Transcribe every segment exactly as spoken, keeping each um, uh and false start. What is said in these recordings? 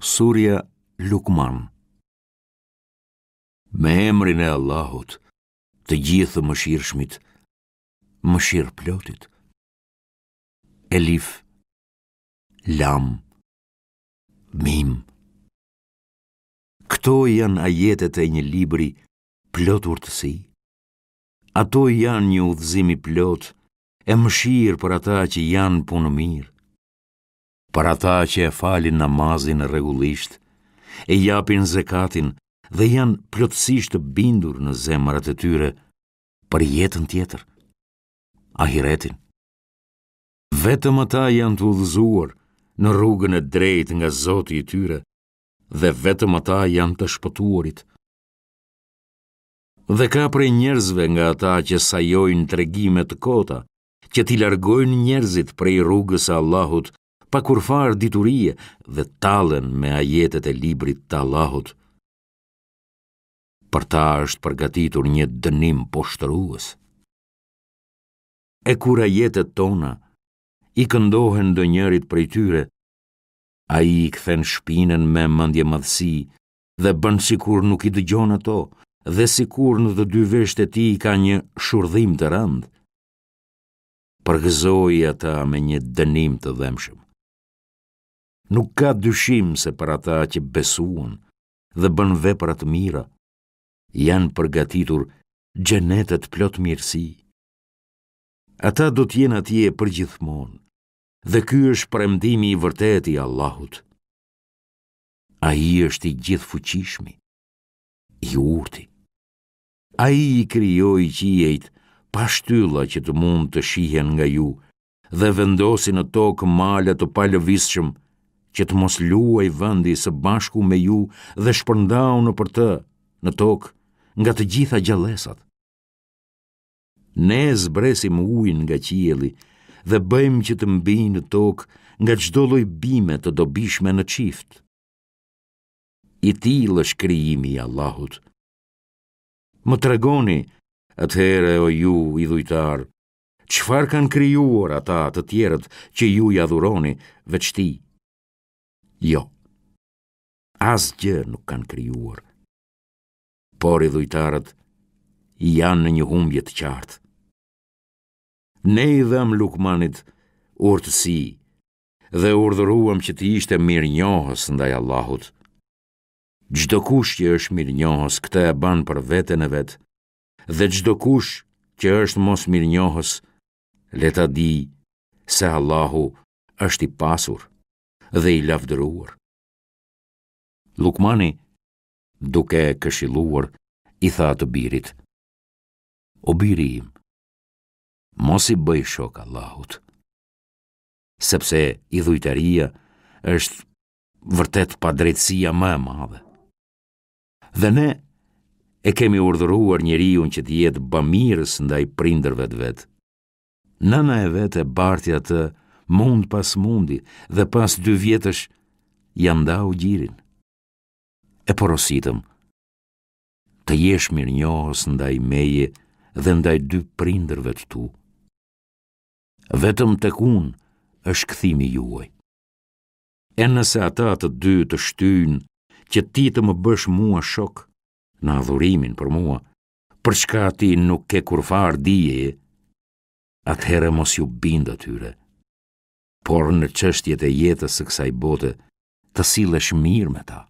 Surja Lukman. Me emrin e Allahut, të gjithë të mëshirshmit, mëshirëplotit. Elif, Lam, Mim. Këto janë ajetet e një libri plot urtësi. Ato janë një udhëzim i plotë e mëshirë për ata që janë punëmirë, për ata që e falin namazin rregullisht, e japin zekatin dhe janë plotësisht të bindur në zemrat e tyre për jetën tjetër, ahiretin. Vetëm ata janë të udhëzuar në rrugën e drejtë nga Zoti i tyre dhe vetëm ata janë të shpëtuarit. Dhe ka prej njerëzve nga ata që sajojnë tregime të kota, që t'i largojnë njerëzit prej rrugës së Allahut pa kurrfarë diturie dhe tallen me ajetet e librit të Allahut. Për ta është përgatitur një dënim poshtërues. E kur ajetet tona i këndohen ndonjërit prej tyre, ai i kthen shpinën me mendjemadhësi dhe bën sikur nuk i dëgjon ato dhe sikur në të dy veshët e tij ka një shurdhim të rëndë. Përgëzoji ata me një dënim të dhembshëm. Nuk ka dyshim se për ata që besuan dhe bënë vepra të mira, janë përgatitur xhenetet plot mirësi. Ata do të jenë atje përgjithmonë, dhe ky është premtimi i vërtetë i Allahut. Ai është i gjithëfuqishmi, i urti. Ai i krijoi qiejt pa shtylla që të mund të shihen nga ju dhe vendosi në tokë male të palëvizshëm që të mos luajë vendi së bashku me ju dhe shpërndau nëpër të, në tokë, nga të gjitha gjallesat. Ne zbresim ujin nga qielli dhe bëjmë që të mbijë në tokë nga çdo lloj bime të dobishme në çift. I tillë është krijimi i Allahut. Më tregoni, atëherë o ju idhujtarë, çfarë kanë krijuar ata të tjerët që ju i adhuroni veç tij? Jo, asgjë nuk kanë krijuar. Por idhujtarët janë në një humbje të qartë. Ne i dhamë Lukmanit urtësi dhe urdhëruam që të ishte mirënjohës ndaj Allahut. Çdokush që është mirënjohës këtë e bën për veten e vet, dhe çdokush që është mosmirënjohës, le ta dijë se Allahu është i pasur dhe i lavdëruar. Lukmani, duke e këshilluar, i tha të birit: O biri im, mos i bëj shok Allahut, sepse idhujtaria është vërtet padrejtësia më e madhe. Dhe ne e kemi urdhëruar njeriun që të jetë bamirës ndaj prindërve të vet. Nëna e vet e barti atë mund pas mundi dhe pas dy vjetësh ia ndau gjirin. E porositëm të jesh mirënjohës ndaj meje dhe ndaj dy prindërve të tu. Vetëm tek unë është kthimi juaj. E nëse ata të dy të shtyjnë që ti të më bësh mua shok në adhurimin për mua, për çka ti nuk ke kurrfarë dijeje, atëherë mos iu bind atyre. Por në çështjet e jetës së kësaj bote, të sillesh mirë me ta.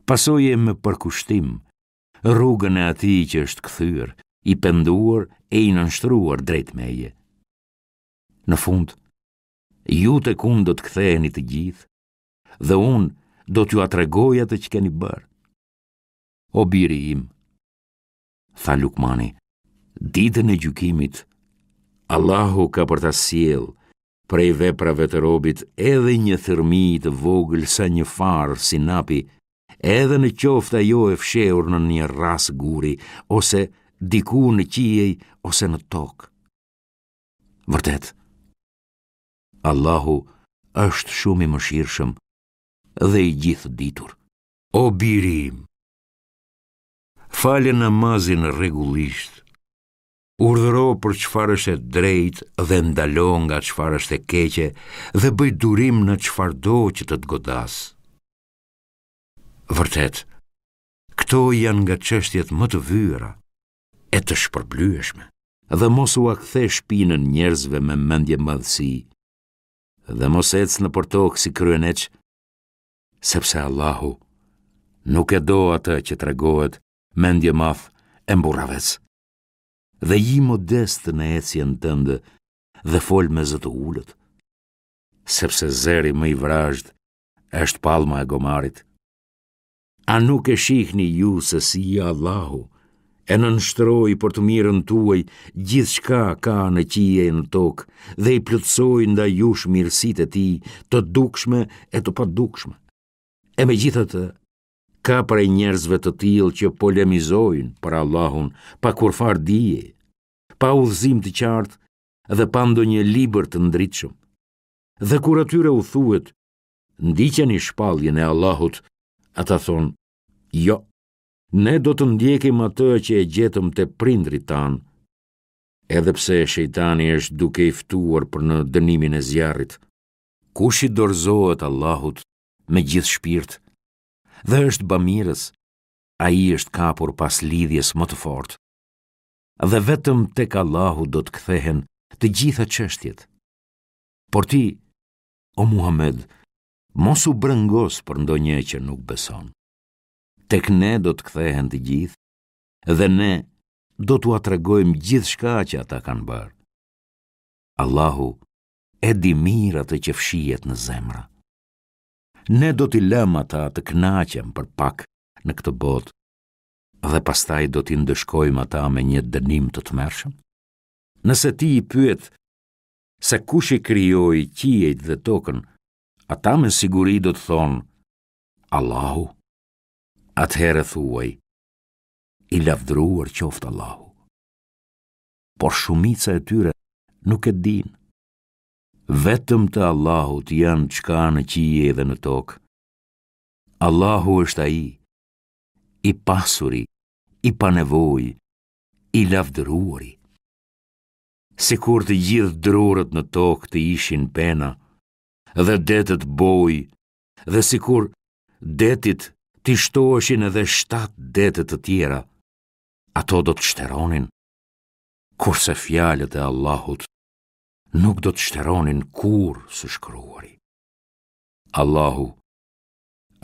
Pasoje me përkushtim rrugën e atij që është kthyer, i penduar e i nënshtruar drejt meje. Në fund, ju tek unë do të ktheheni të gjithë, dhe unë do t'jua tregoj atë që keni bërë. O biri im, tha Lukmani, ditën e gjykimit, Allahu ka për ta sjellë prej veprave të robit edhe një thërrmi të vogël sa një farë sinapi, edhe në qoftë ajo e fshehur në një rrasë guri, ose diku në qiej, ose në tokë. Vërtet, Allahu është shumë i mëshirshëm dhe i gjithëditur. O biri im, fale namazin rregullisht, urdhëro për çfarë është e drejtë dhe ndalo nga çfarë është e keqe dhe bëj durim në çfarëdo që të të godasë. Vërtet, këto janë nga çështjet më të vyera e të shpërblyeshme. Dhe mos ua kthe shpinën njerëzve me mendjemadhësi dhe mos ec nëpër tokë si kryeneç, sepse Allahu nuk e do atë që tregohet mendjemadh e mburravec. Dhe ji modest në ecjen tënde dhe fol me zë të ulët, sepse zëri më i vrazhdë është pallma e gomarit. A nuk e shihni ju se si Allahu e nënshtroi për të mirën tuaj gjithçka ka në qiej e në tokë dhe i plotësoi ndaj jush mirësitë e tij të dukshme e të padukshme. E megjithatë, ka prej njerëzve të tillë që polemizojnë për Allahun pa kurrfarë dije, pa udhëzim të qartë dhe pa ndonjë libër të ndritshëm. Dhe kur atyre u thuhet, ndiqeni shpalljen e Allahut, ata thonë, jo, ne do të ndjekim atë që e gjetëm te prindërit tanë, edhe pse shejtani është duke i ftuar për në dënimin e zjarrit. Kush i dorëzohet Allahut me gjithë shpirt dhe është bamirës, ai është kapur pas lidhjes më të fortë. Dhe vetëm tek Allahu do të kthehen të gjitha çështjet. Por ti, o Muhamed, mos u brengos për ndonjë që nuk beson. Tek ne do të kthehen të gjithë dhe ne do t'ua tregojmë gjithçka që ata kanë bërë. Allahu e di mirë atë që fshihet në zemra. Ne do t'i lëmë ata të kënaqen për pak në këtë botë dhe pastaj do t'i ndëshkojmë ata me një dënim të tmerrshëm. Nëse ti i pyet se kush i krijoi qiejt dhe tokën, ata me siguri do të thonë Allahu. Atëherë thuaj, i lavdëruar qoftë Allahu. Por shumica e tyre nuk e dinë. Vetëm të Allahut janë çka në qiej dhe në tokë. Allahu është ai, i pasuri, i panevojë, i lavdëruari. Sikur të gjithë drurët në tokë të ishin pena, dhe detet bojë, dhe sikur detit t'i shtoheshin edhe shtatë dete të tjera, ato do të shteronin, kurse fjalët e Allahut nuk do të shteronin kurrë së shkruari. Allahu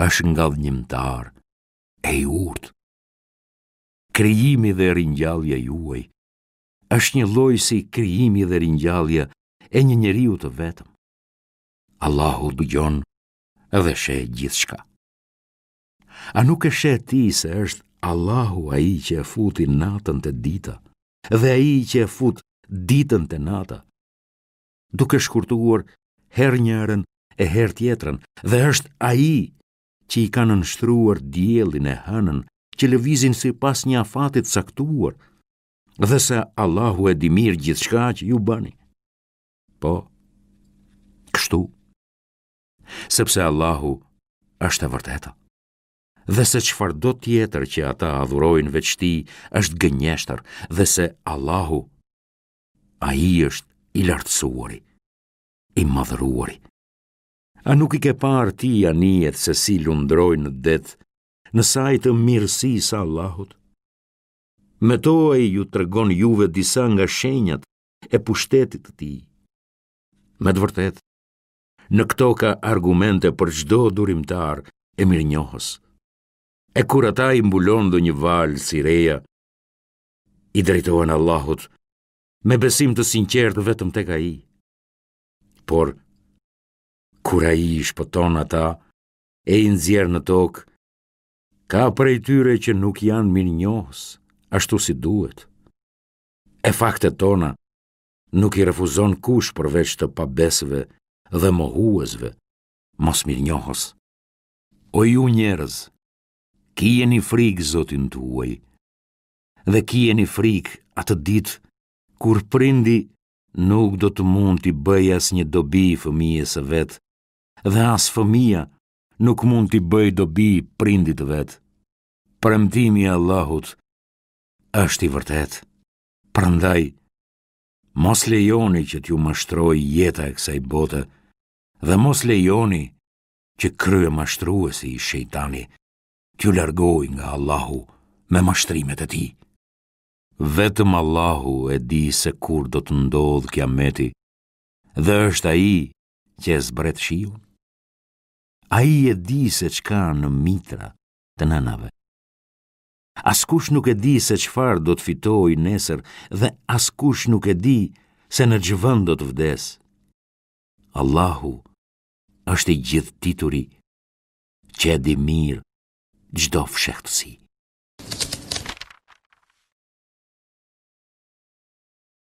është ngadhënjimtar e i urtë. Krijimi dhe ringjallja juaj është njëlloj si krijimi dhe ringjallja e një njeriu të vetëm. Allahu dëgjon dhe sheh gjithçka. A nuk e sheh ti se është Allahu ai që e futi natën te dita dhe ai që e fut ditën te nata, duke shkurtuar herë njërën e herë tjetrën, dhe është ai që i ka nënshtruar diellin e hënën që lëvizin sipas një afati të caktuar, dhe se Allahu e di mirë gjithçka që ju bëni. Po, kështu, sepse Allahu është e vërteta, dhe se çfarëdo tjetër që ata adhurojnë veç tij është gënjeshtër, dhe se Allahu, ai është i lartësuari, i madhëruari. A nuk i ke parë ti anijet se si lundrojnë në det, në sajë të mirësisë së Allahut? Me to ai ju tregon juve disa nga shenjat e pushtetit të tij. Me të vërtetë, në këto ka argumente për çdo durimtar e mirënjohës. E kur ata i mbulon ndonjë valë si reja, i drejtohen Allahut me besim të sinqertë vetëm tek ai. Por, kur ai i shpëton ata e i nxjerr në tokë, ka prej tyre që nuk janë mirënjohës, ashtu si duhet. E faktet tona nuk i refuzon kush përveç të pabesëve dhe mohuesve, mosmirënjohës. O ju njerëz, kijeni frikë Zotin tuaj dhe kijeni frikë atë ditë kur prindi nuk do të mund t'i bëjë asnjë dobi fëmijës së vet dhe as fëmija nuk mund t'i bëjë dobi prindit të vet. Premtimi i Allahut është i vërtetë. Prandaj, mos lejoni që t'ju mashtrojë jeta e kësaj bote dhe mos lejoni që kryemashtruesi, shejtani, t'ju largojë nga Allahu me mashtrimet e tij. Vetëm Allahu e di se kur do të ndodhë kiameti dhe është ai që e zbret shiun. Ai e di se ç'ka në mitra të nënave. Askush nuk e di se çfarë do të fitojë nesër dhe askush nuk e di se në ç'vend do të vdesë. Allahu është i gjithëdituri që e di mirë çdo fshehtësi.